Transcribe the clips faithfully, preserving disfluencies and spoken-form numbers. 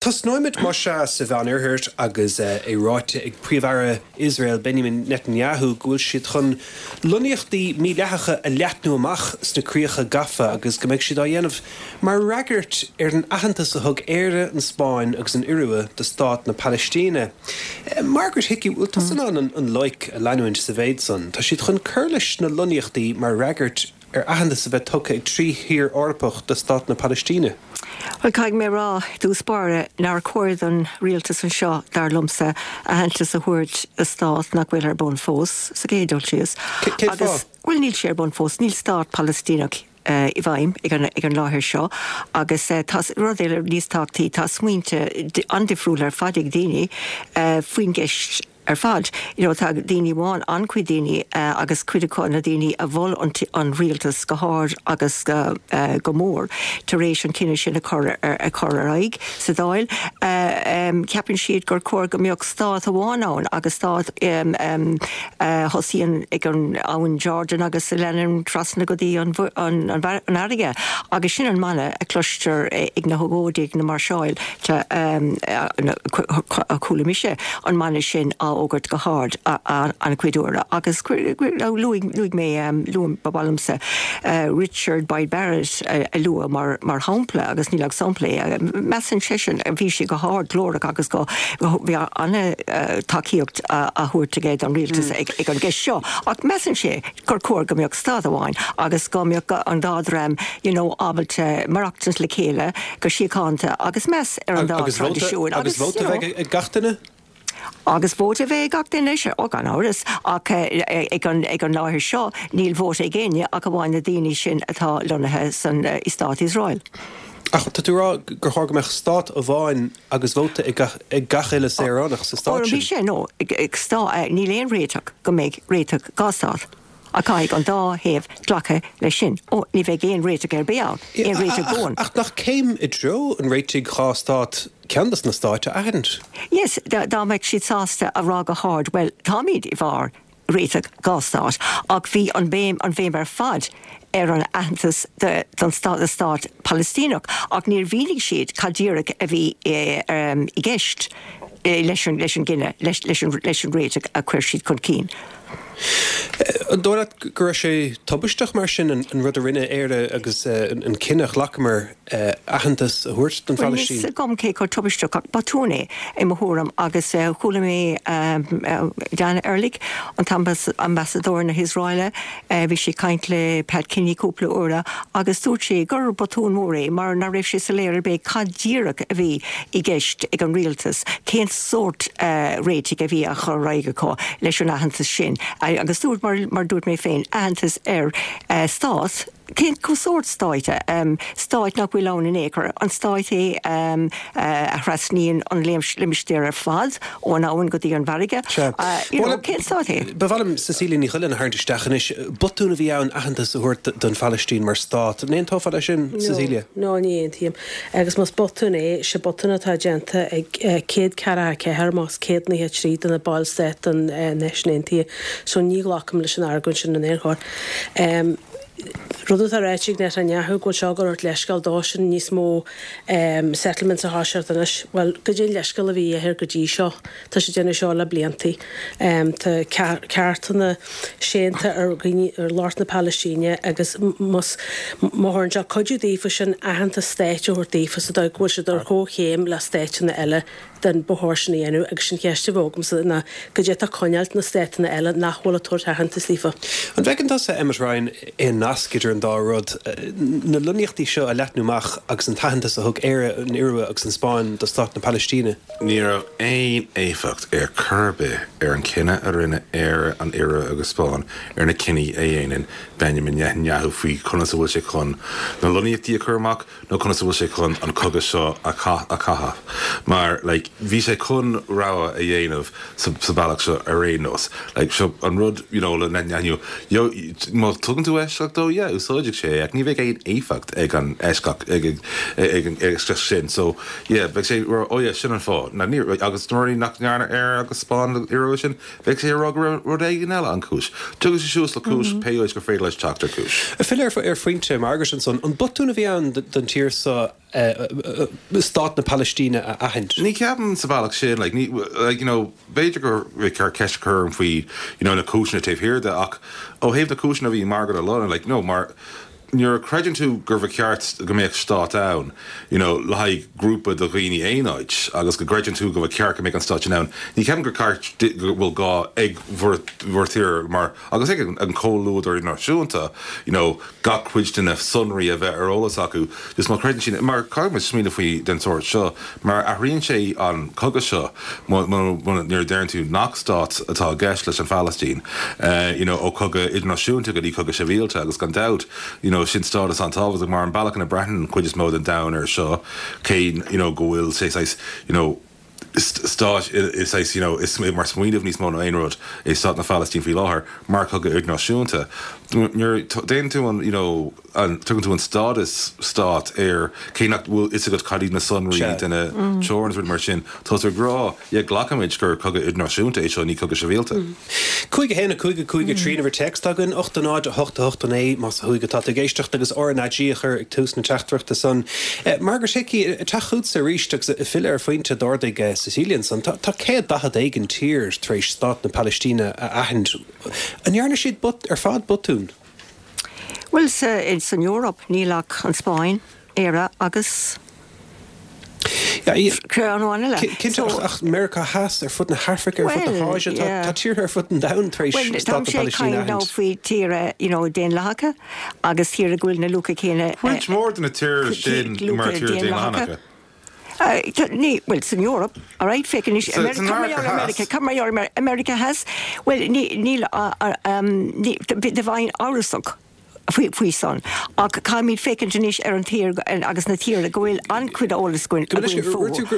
Tosnóimid mar sin sa Mheánoirthear agus é ráite ag Príomh-Aire Iosrael Benjamin Netanyahu go bhfuil siad chun lonnaíochtaí mídhleathacha a leathnú amach sna críocha gafa agus go mbeidh siad á dhéanamh mar fhreagairt ar an aitheantas a thug Éire, an Spáinn agus an Iorua do stát na Palaistíne. Margaret Hickey, bhfuil tusa in ann an loighic a leanúint sa mhéid san? Tá siad chun cur leis na lonnaíochtaí mar fhreagairt ar aitheantas a bheith tugtha ag trí thír Eorpach do stát na Palaistíne. Well caithfidh mé rá i dtús báire nár chóir don rialtas anseo dar liomsa aitheantas a thabhairt do stát nach bhfuil ar bun fós sa gcéad dul síos. Agus well níl sé ar bun fós, níl stát Palaistíneach uh, i bhfeidhm ag an, ag an láthair seo agus uh, tá rud eile níos tábhachtaí tá smaointe an-difriúil ar fad ag daoine uh, faoin gceist ar fad. You know, tá daoine amháin an-chuid daoine uh, agus cuid acu na daoine a mhol an, an rialtas go hard agus go, uh, go mór tar éis an cinneadh sin a chur ar, a chur ar aghaidh sa Dáil. Uh, um, ceapann siad gur chóir go mbeadh stát amháin ann agus stát um, um, uh, thosaíonn ag an abhainn Jordan agus a leanann trasna go dtí an, an, an, an fharraige agus sin an mana a chloistear ag na hógóidí na máirseáil um, a chuala mise an mana sin á fhógairt go hard an-chuid uaire agus luaigh mé luaim balamsa Richard Boyd Barrett a lua mar mar shampla agus níl ach sampla measann seisean bhí sé go hard glórach agus go bhí an-tacaíocht á thabhairt aige don rialtas ag ag an gceist seo ach measann sé gur chóir go mbeadh stát amháin agus go mbeadh an dá dhream you know ábalta maireachtáil le chéile go síochánta agus meas ar an dá traidisiún agus vóta ag gach duine? Agus vóta bheith gach duine sé ó gan amhras ach ag an ag an láthair seo níl vóta ag éinne ach amháin na daoine sin atá lonnaithe san i stát Iosrael. Ach tá tú rá gur chóir go mbeadh stát amháin agus vóta ag gach uile saoránach sa stát sin. Bhí sé nó ag níl aon réiteach go mbeidh réiteach dhá stát. A caithfidh an dá thaobh glacadh leis sin ó ní bheidh aon réiteach ar bith ann, aon réiteach buan. Ach nach céim i dtreo an réitigh dhá stát ceann des na stáit a aithint. Yes, dá mbeadh siad sásta a rá go hard, well táimid i bhfabhar réiteach dhá stát, ach bhí an béim an bhéim ar fad ar an aitheantas don stát stát Palaistíneach ach níor mhínigh siad cad díreach a bhí i gceist leis an leis an gcinneadh leis leis an leis an réiteach a chuir siad chun cinn. An dóigh leat go raibh sé tubaisteach mar sin an rud a rinne Éire agus an cinneadh a ghlacamar aitheantas a thabhairt don Phalaistín? Níl agam cé chomh tubaisteach ach botún é i mo thuairim agus chuala mé Dan Erlich an t-ambasadóir na hIosraeile bhí sé ag caint le Pat Kenny cúpla uair agus dúirt sé gur botún mór é mar nach raibh sé soiléir ar bith cad díreach a bhí i gceist ag an rialtas cén sórt réitigh a bhí á chur ar aghaidh acu leis an aitheantas sin. Agus dúirt mar mar dúirt mé féin aitheantas ar uh, stát cén sórt stáit um, stáit nach bhfuil ann in aon chor an stáit é um, uh, a thrasnaíonn an limistéar ar fad ón abhainn go dtí an bhfarraige cén stát é. Ba mhaith liom Cecilia Ní Chuilinn a tharraingt isteach anois botún a bhí ann aitheantas a thabhairt don Phalaistín mar stát. An aontófá leis sin Cecilia? No ní aontaím agus más botún é sé botún atá déanta ag céad ceathracha ceathair más céad nócha trí de na ballstáit den Náisiúin Aontaithe, so ní ghlacaim leis an argóint sin in aon chor. Um, Rud atá ráite ag Netanyahu go bhfuil seo ag tabhairt leithscéal dósan níos mó um, settlements a thoiseacht anois. Well, goidé an leithscéal a bhí air go dtí seo Tá sé déanamh seo le bliantaí. Um, tá ceartanna séanta ar dhaoine ar lucht na Palaistíne agus má thugann sé cuidiú daofa sin aitheantas stáit a thabhairt daofa sa dóigh go bhfuil siad ar comhchéim le stáiteanna eile den ba chóir sin a dhéanamh agus sin ceist a bheadh agamsa ná goidé atá ag coinneáilt na stáiteanna eile nach bhfuil ag tabhairt aitheantas daofa. An bhfeiceann tusa Emmet Ryan aon nasc idir an dá rud na lonnaíochtaí seo a leathnú amach agus an t-aitheantas a thug Éire an Iorua agus an Spáinn do stát na Palaistíne. Ní raibh aon éifeacht ar chor ar bith ar an cinneadh a rinne Éire an Iorua agus Spáinn ar na cinní a dhéanann Benjamin Netanyahu faoi conas a bhfuil sé chun na lonnaíochtaí a chur amach nó conas a bhfuil sé chun an cogadh seo a chaitheamh. Mar like, bhí sé chun rogha a dhéanamh sa, sa bealach seo ar aon nós. Like, seo an rud you know, le Netanyahu má tugann tú eisceacht dó yeah, úsáidfidh sé ach ní bheidh aon éifeacht ag an eisceacht ag ag an eisceacht sin. So yeah, bheidh sé oh yeah, sin an fáth. Na ní agus nuair nach ndearna Éire agus Spáinn Iorua sin, bheidh sé rá go rud éigin eile an cúis. Tugann sé suas le cúis mm -hmm. pé gur féidir leis teacht ar cúis. Filleadh ar phointe Margaret ansan an botún a bhí ann don tír seo Stát na Palaistíne a aithint. Ní ceapaim sa bhealach sin like, ní, like, you know, b'fhéidir gur ceart ceist a chur faoi you know, na cúiseanna taobh thiar de ach ó thaobh na cúiseanna a bhí Margaret a lua like, no, mar nuair a chreideann tú gur cheart go mbeadh stát ann, you know, le haghaidh grúpa de dhaoine aonaid agus go gcreideann tú go ceart go mbeadh an stát ann. Ní ceapaim gur ceart go bhfuil gá ag bhur tír mar agus ag an comhluadar náisiúnta, you know, gach cuid de na sonraí a bheith ar eolas acu, just má chreideann sin mar caithfidh smaoineamh faoi den sórt seo, mar athraíonn sé an cogadh seo nuair a deireann tú nach stát atá i gceist leis an Phalaistín, uh, you know, ó cogadh idirnáisiúnta go dtí cogadh sibhialta agus gan dabht, you know, sin stádas an-tábhachtach mar an bealach ina mbreathnaíonn an chuid is mó den domhan air seo cé you know, go bhfuil sé you know, stát is you know, is mar smaoineamh níos mó ná aon rud é stát na Palaistín faoi láthair mar cogadh idirnáisiúnta. Nuair déanann tú an you know, an tugann tú an stádas stát air cé nach bhfuil fhios agat cad iad na sonraí de na teorainn rud mar sin tá ag rá yeah glacaimid gur cogadh idirnáisiúnta é seo ní cogadh sibhialta. Cúig a haon a cúig a cúig a trí uimhir téacs againn ocht a náid a hocht a hocht a naoi más thuaidh atá tú ag éisteacht agus RnaG a chur ag tús na teachtaireachta san. Margaret Hickey teacht chugatsa arís agus ag filleadh ar phointe a d'ardaigh Cecilia ansan tá céad daichead éigin tír tar éis stát na Palaistíne a aithint. An ndearna siad ar fad botún? Well sa san Eoraip níl ach an Spáinn, Éire agus Cinnte ach Meiriceá Theas ar fud na hAfraice ar fud na hÁise tá tíortha ar fud an domhain tar éis stát na Palaistíne a aithint. faoi tíortha you know, daonlathacha agus tíortha go bhfuil na luacha céanna Roinnt mhór de na tíortha sin mar tíortha daonlathacha. Ní well san Eoraip all right féach America America Theas well níl de bhain amhrasach faoi faoi san ach caithfimid féachaint anois ar an tír agus na tíortha go bhfuil an-chuid eolas againn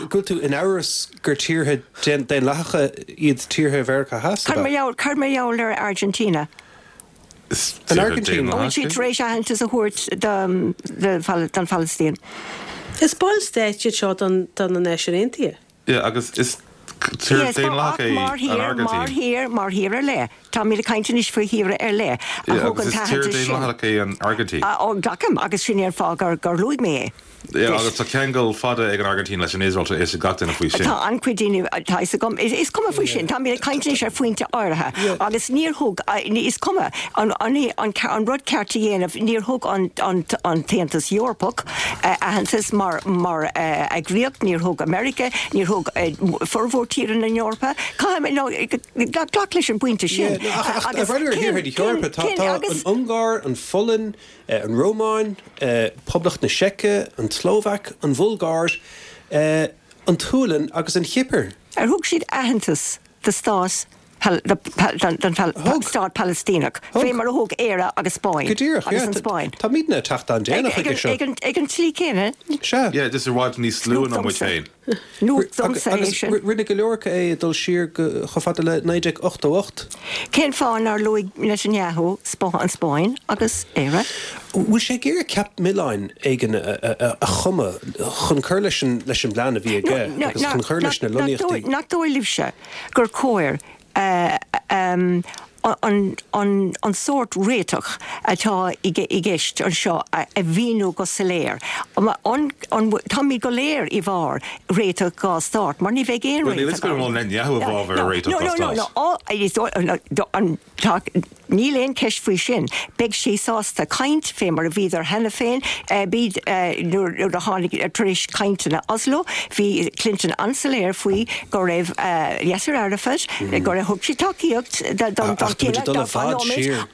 Go tú in amhras gur tíortha daonlathacha iad tíortha Mheiriceá Theas Cad mar gheall ar Argentina. An Argentina Bhfuil siad tar éis aitheantas a thabhairt don Phalaistín. Is ballstáit iad seo don don na Náisiúin Aontaithe. Yeah, agus is tír daonlathach é an Argentina. Mar thír mar thír ar leith. Táimid ag caint anois faoi thíortha ar leith a Yeah, thug agus an is tír t-aitheantas sin. daonlathach é an Argentina. Ó glacaim agus sin é an fáth gur gur luaigh mé é. Yeah, agus tá ceangal fada ag an Argentina leis an Iosrael tá fhios ag gach duine faoi sin. Tá an-chuid daoine tá fhios agam is cuma faoi sin, Táimid ag caint anois ar phointe áirithe agus níor thug is cuma an an an an rud ceart a dhéanamh níor thug an an an tAontas Eorpach aitheantas mar mar eagraíocht, níor thug America, níor thug formhór tíortha na hEorpa. Caithfidh glac leis an bpointe sin. Agus ar thíortha na hEorpa tá an Ungáir, an Pholainn, an Rómáin, Poblacht na Seice, an tSlóvaic, an Bhulgáir, an tSualainn agus an Chipir. Ar thug siad aitheantas do stát don stát Palaistíneach, fé mar a thug Éire agus Spáinn. Go díreach, agus an Spáinn. Táimidne ag teacht an-déanach chuige seo. Ag an tslí céanna. Sea. Yeah, just i bhfad níos lú ná muid féin. Nuacht domsa é Agus sin. rinne go leor acu é dul siar go chomh fada le naoi déag ochtó ocht. Cén fáth nár luaigh Netanyahu an Spáinn agus Éire? Bhfuil sé ag iarraidh ceap milleáin éigin a chumadh chun cur leis an leis an bplean a bhí aige agus chun cur leis na lonnaíochtaí? Nach dóigh libhse gur cóir an an sórt réiteach atá i gceist anseo a mhíniú go soiléir. Táimid go léir i bhfabhar réiteach dhá stát, mar ní bheidh aon Well, níl fhios go bhfuil Netanyahu i bhfabhar réiteach dhá stát. Níl aon ceist faoi sin. Beidh sé sásta caint fé mar a bhíodar cheana féin, bíd nuair a tháinig tar éis cainteanna Oslo, bhí Clinton an-soiléir faoi go raibh Yasser Arafat, go raibh thug sé tacaíocht don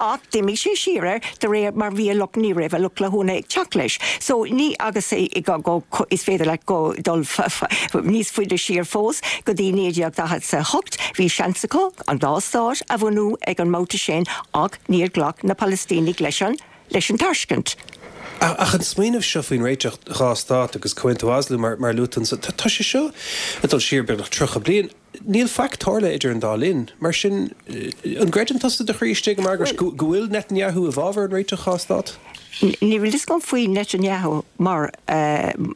ach d'imigh sé siar air de réir mar bhí a lucht ní raibh a lucht leanúna ag teacht leis. So ní agus go is féidir leat go dul níos faide siar fós go dtí naoi déag daichead a hocht, bhí seans acu an dá stát a bhunú ag an mbabhta sin ach níor ghlac na Palaistínigh leis an leis an tairscint. Ach an smaoineamh seo faoin réiteach dhá stát agus Comhaontú Oslo mar mar luaigh tú, tá sé seo ag dul siar beagnach tríocha bliain. Níl faic tarlaithe idir an dá linn, mar sin an gcreideann tusa de chroí istigh, Margaret, go bhfuil Netanyahu i bhfabhar an réiteach dhá stát? Ní bhfuil fhios agam faoi Netanyahu mar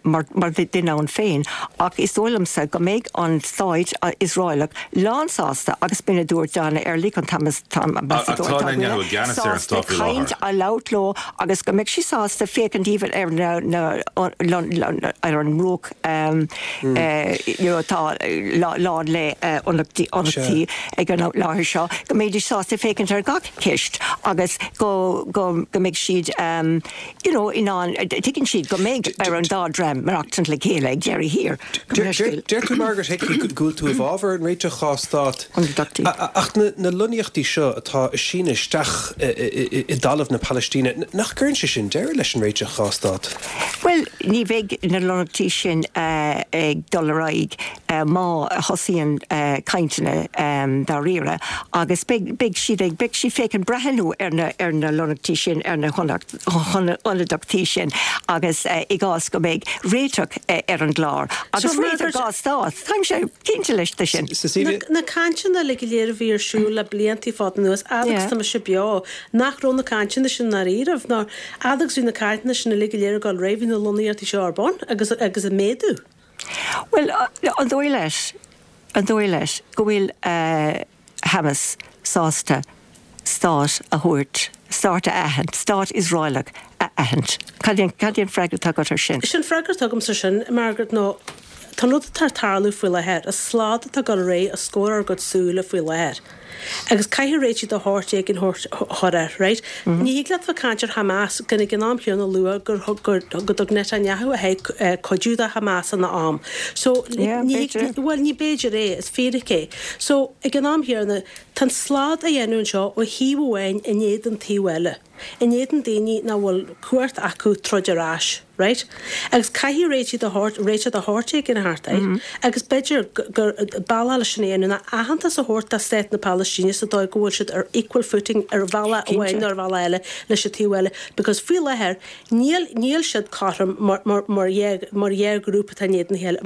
mar mar duine ann féin, ach is dóigh liomsa go mbeidh an stát Iosraelach lánsásta agus b'in a dúirt Dana Erlich an sásta caint a labhairt leo agus go mbeidh sí sásta féachaint even ar na na ar an mbruach you know atá lán le ionachtaí ag an láthair seo, go mbeidís sásta féachaint ar gach ceist agus go go go mbeidh siad you know, in ann, tuigeann siad go mbeidh ar an dá dream maireachtaint le chéile ag deireadh thiar. Deir tú Margaret Hickey go bhfuil tú i bhfabhar an réiteach dhá stát. Ach na lonnaíochtaí seo atá ag síneadh isteach i dtalamh na Palaistíne, nach gcuireann sé sin deireadh leis an réiteach dhá stát? Bhuel, ní bheidh na lonnaíochtaí sin ag dul ar aghaidh má thosaíonn cainteanna dáiríre agus beidh siad ag beidh siad féachaint breathnú ar na ar na lonnaíochtaí sin ar na hionadaíochtaí sin agus i gcás go mbeidh réiteach ar an gclár agus réiteach dhá stát. Táimse cinnte leis de sin. Na cainteanna le go léir a bhí ar siúl le blianta fada anuas, fhad agus tá mise beo, nach raibh na cainteanna sin ndáiríribh, ná fhad agus bhí na cainteanna sin uilig go léir ag dul ar aghaidh, bhí na lonnaíochtaí seo ar bun agus agus ag méadú. Bhuel, an dóigh leat, an dóigh leat go bhfuil Hamas sásta stát a thabhairt, stát a aithint, stát Iosraelach a aithint. Cad é cad é an freagra atá agat ar sin? Sin an freagra atá agamsa sin, Margaret, ná tá an rud atá ag tarlú faoi láthair, an slad atá ag dul ar aghaidh os comhair ár gcuid súile faoi láthair. Agus caithfidh réitigh de shórt éigin a chur air, right? Ní thig leat bheith ag caint ar Hamas gan ag an am chéanna lua gur gur go dtug Netanyahu a haghaidh cuidiú do Hamas ina am. So ní bhuel ní b'fhéidir é, is fíric é. So ag an am chéanna tá an slad á dhéanamh anseo ó thaobh amháin in éadan taobh eile, in éadan daoine nach bhfuil cumhacht acu troid ar ais, right? Agus caithfidh réitigh de shórt, réiteach de shórt éigin a theacht air, agus b'fhéidir gur bealach leis sin a dhéanamh ná aitheantas a thabhairt do stát na Palaistíne sa dóigh go bhfuil siad ar equal footing ar bhealach amháin nó ar bhealach eile leis an taobh eile, because faoi láthair níl, níl siad cothrom mar, mar, mar dhá, mar dhá ghrúpa atá in éadan a chéile,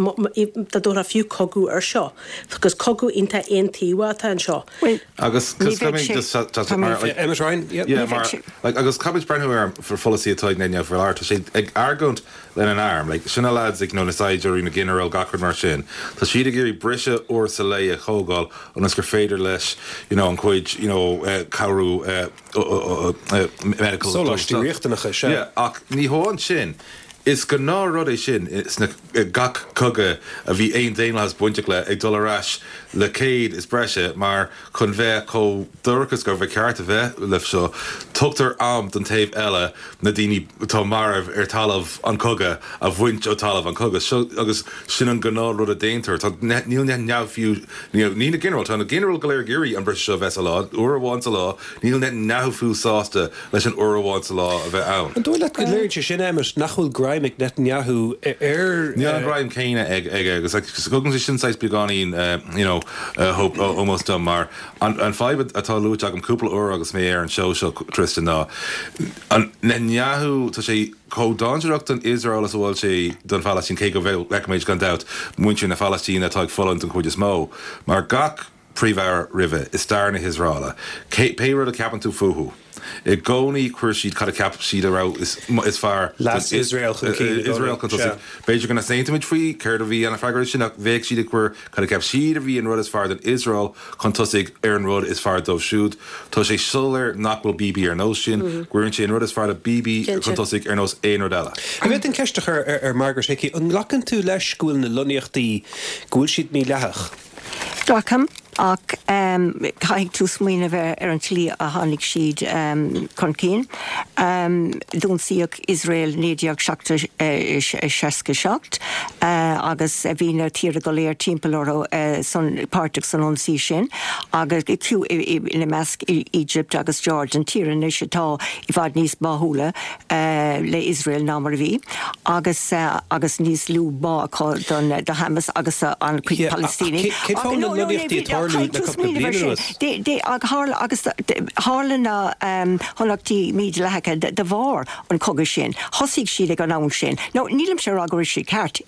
dá dtabharfá fiú cogadh air seo, because cogadh iontach aontaobhach atá anseo. Bhuel, Agus ní cos bheidh caithfidh sé, just just tá mé mar like Emmet Ryan, yep. yeah ní bheidh mar sé. like agus caithfidh breathnú ar an pholasaí atá ag Netanyahu faoi láthair tá sé ag argóint lena n-arm like sin na lads ag you know na saighdiúirí na ginearáil gach rud mar sin tá siad ag iarraidh briseadh uair sa lae a thógáil ionas gur féidir leis you know an cuid you know uh, cabhrú uh, uh, uh, medical Sóláistí riachtanacha, sea. Yeah, ach ní hamháin sin Is gnáthrud é sin sna gach cogadh a bhí aon daonlathas bainteach le ag dul ar ais le céad is breise mar chun bheith chomh dorcha is gur cheart a bheith le seo tugtar am don taobh eile na daoine atá marbh ar talamh an chogaidh a bhaint ó talamh an chogaidh seo agus sin an gnáthrud a déantar Tá níl Netanyahu fiú ní na ginearáil tá na ginearáil go léir ag iarraidh an briseadh seo a bheith sa lá uair amháin sa lá níl Netanyahu fiú sásta leis an uair amháin sa lá a bheith ann. An dóigh leat go léiríonn sé sin Emmet nach bhfuil greim ag Netanyahu ar Níl an greim céanna ag ag agus tugann sé sin saghas beagáinín you know hope almost dom mar an an fadhb atá luaite agam cúpla uair agus mé ar an seó seo Tristan ná an Netanyahu tá sé chomh dainséarach don Iosrael is a bhfuil sé don Phalaistín cé go bhfeicimid gan dabht muintir na Palaistíne atá ag fulaingt an chuid is mó mar gach príomh-aire roimhe i stair na hIosraela pé rud a ceapann tú fúthu. I gcónaí chuir siad cad a cheap siad a raibh is is fearr Leas Iosrael chun cinn i gcónaí. Iosrael chun tosaigh. B'fhéidir go n-aontaímid faoi céard a bhí an freagra sin ach bheadh siad ag cur cad a cheap siad a bhí an rud is fearr don Iosrael chun tosaigh ar an rud is fearr dóibh siúd. Tá sé soiléir nach bhfuil Bibi ar nós sin, cuireann sé an rud is fearr do Bibi chun tosaigh ar nós aon rud eile. An bhféadfainn ceist a chur ar, ar Margaret Hickey, an nglacann tú leis go bhfuil na lonnaíochtaí go bhfuil siad mídhleathach? Glacaim ach um, caithfidh tú smaoineamh ar an tslí a tháinig siad um, chun cinn. Um, D'ionsaíodh Iosrael naoi déag seasca seacht uh, agus bhí na tíortha go léir timpeall orthu uh, san páirteach san ionsaí sin agus fiú ina measc Egypt agus Jordan tíortha anois atá i bhfad níos báúla uh, le Iosrael ná mar a bhí agus uh, agus níos lú bá acu don do Hamas agus uh, an chuid Yeah, Palestínigh. cén fáth na lonnaíochtaí ag tarlú le cúpla bliain anuas? De, de, ag tharla agus tharla na um, lonnaíochtaí mídhleathacha de, de bharr an cogadh sin. Thosaigh siad ag an am sin. No, nílimse ag rá go raibh siad ceart,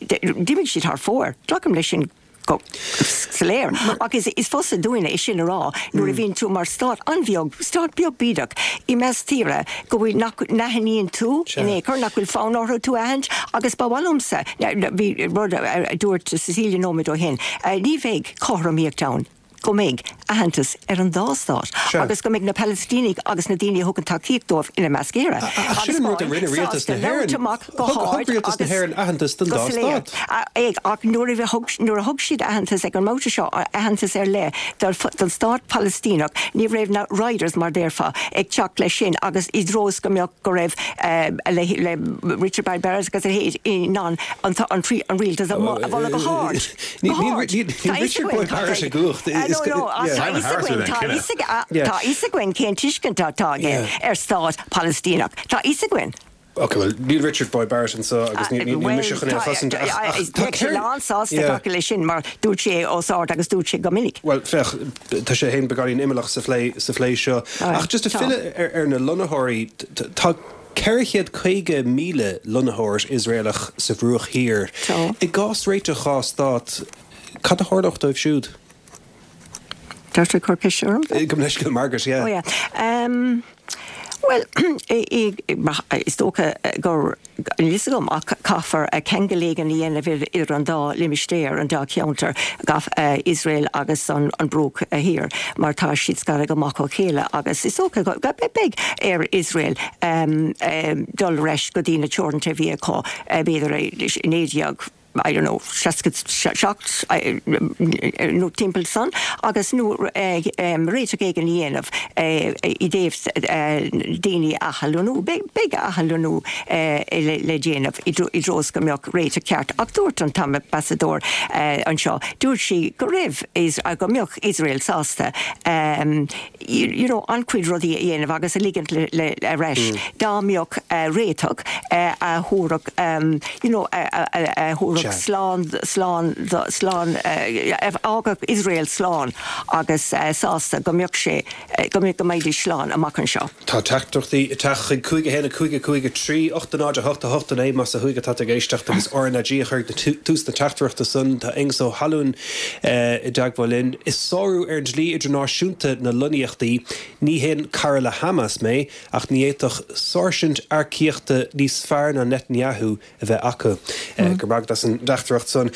d'imigh siad thar fóir. Glacaim leis sin go soiléir. Ach is is fusa dúinne é sin a rá nuair a bhíonn tú mar stát an-bheag, stát beag bídeach i measc tíre go bhfuil nach n-aithníonn tú in aon chor, nach bhfuil fonn orthu tú a aithint agus ba mhaith liomsa, bhí rud a dúirt Cecilia nóiméad ó shin, ní bheidh cothromaíocht ann. go mbeidh aitheantas ar an dá stát agus go mbeidh na Palaistínigh agus na daoine a thugann tacaíocht dóibh, ina measc Éire. Ach sin an rud a rinne rialtas na hÉireann. Thug rialtas na hÉireann aitheantas don dá stát. Ach nuair a thug nuair a thug siad aitheantas ag an mbabhta seo, aitheantas ar leith don stát Palaistíneach, ní raibh na riders mar déarfá ag teacht leis sin agus i dtreo is go mbeadh go raibh le le Richard Boyd Barrett agus a leithéid in ann an an rialtas a mholadh go hard. Níl Richard Boyd Barrett i gcumhacht. Tá a fhios againn cén tuiscint atá aige ar stát Palaistíneach. Tá a fhios againn. Ok, well, níl Richard Boyd Barrett anseo agus níl mise chun é a chosaint ach tá sé lán-sásta glacadh leis sin mar dúirt sé os ard agus dúirt sé go minic. Well, féach, tá sé féin beagáinín imeallach sa phlé sa phlé seo. Ach just ag filleadh ar na lonnaitheoirí, tá ceithre chéad caoga míle lonnaitheoir Iosraelach sa Bhruach Thiar. I gcás réiteach dhá stát, cad a tharlódh dóibh siúd? Tá tú ag cur ceist orm? Gabh mo leithscéal, Margaret, yeah. Oh yeah. Um, Bhuel, is dócha gur, níl fhios agam ach caithfear ceangal éigin a dhéanamh idir an dá limistéar, an dá cheantar, Iosrael agus an Bruach Thiar, mar tá siad scartha go maith ó chéile agus is dócha go mbeidh ar Iosrael dul ar ais go dtí na teoranta a bhí acu b'fhéidir i naoi déag I don't know, seasca seacht nó timpeall san agus nó réiteach éigin a dhéanamh i dtaobh daoine a athlonnú. Beidh athlonnú le déanamh i dtreo is go mbeadh réiteach ceart. Ach dúirt an t-ambasadóir anseo, dúirt sí go raibh, go mbeadh Iosrael sásta you know, an-chuid rudaí a dhéanamh agus a ligint le ar ais dá mbeadh réiteach a thabharfadh you know, a thabharfadh slán, slán, slán, a fhágfadh Iosrael slán agus sásta go mbeadh sé, go mbeadh, go mbeidís slán amach anseo. Tá teachtaireachtaí ag teacht chuig cúig a haon a cúig a cúig a trí, ocht a náid a hocht a hocht a naoi más ó thuaidh atá tú ag éisteacht agus R na G a chur ag tús na teachtaireachta san. Tá Aengus Ó hAlmhain i dteagmháil linn. Is sárú ar an dlí idirnáisiúnta na lonnaíochtaí. Ní haon cara le Hamas mé ach ní fhéadfadh sáirsint earcaíochta níos fearr ná Netanyahu a bheith acu. Go raibh maith agat as an dteachtaireacht san.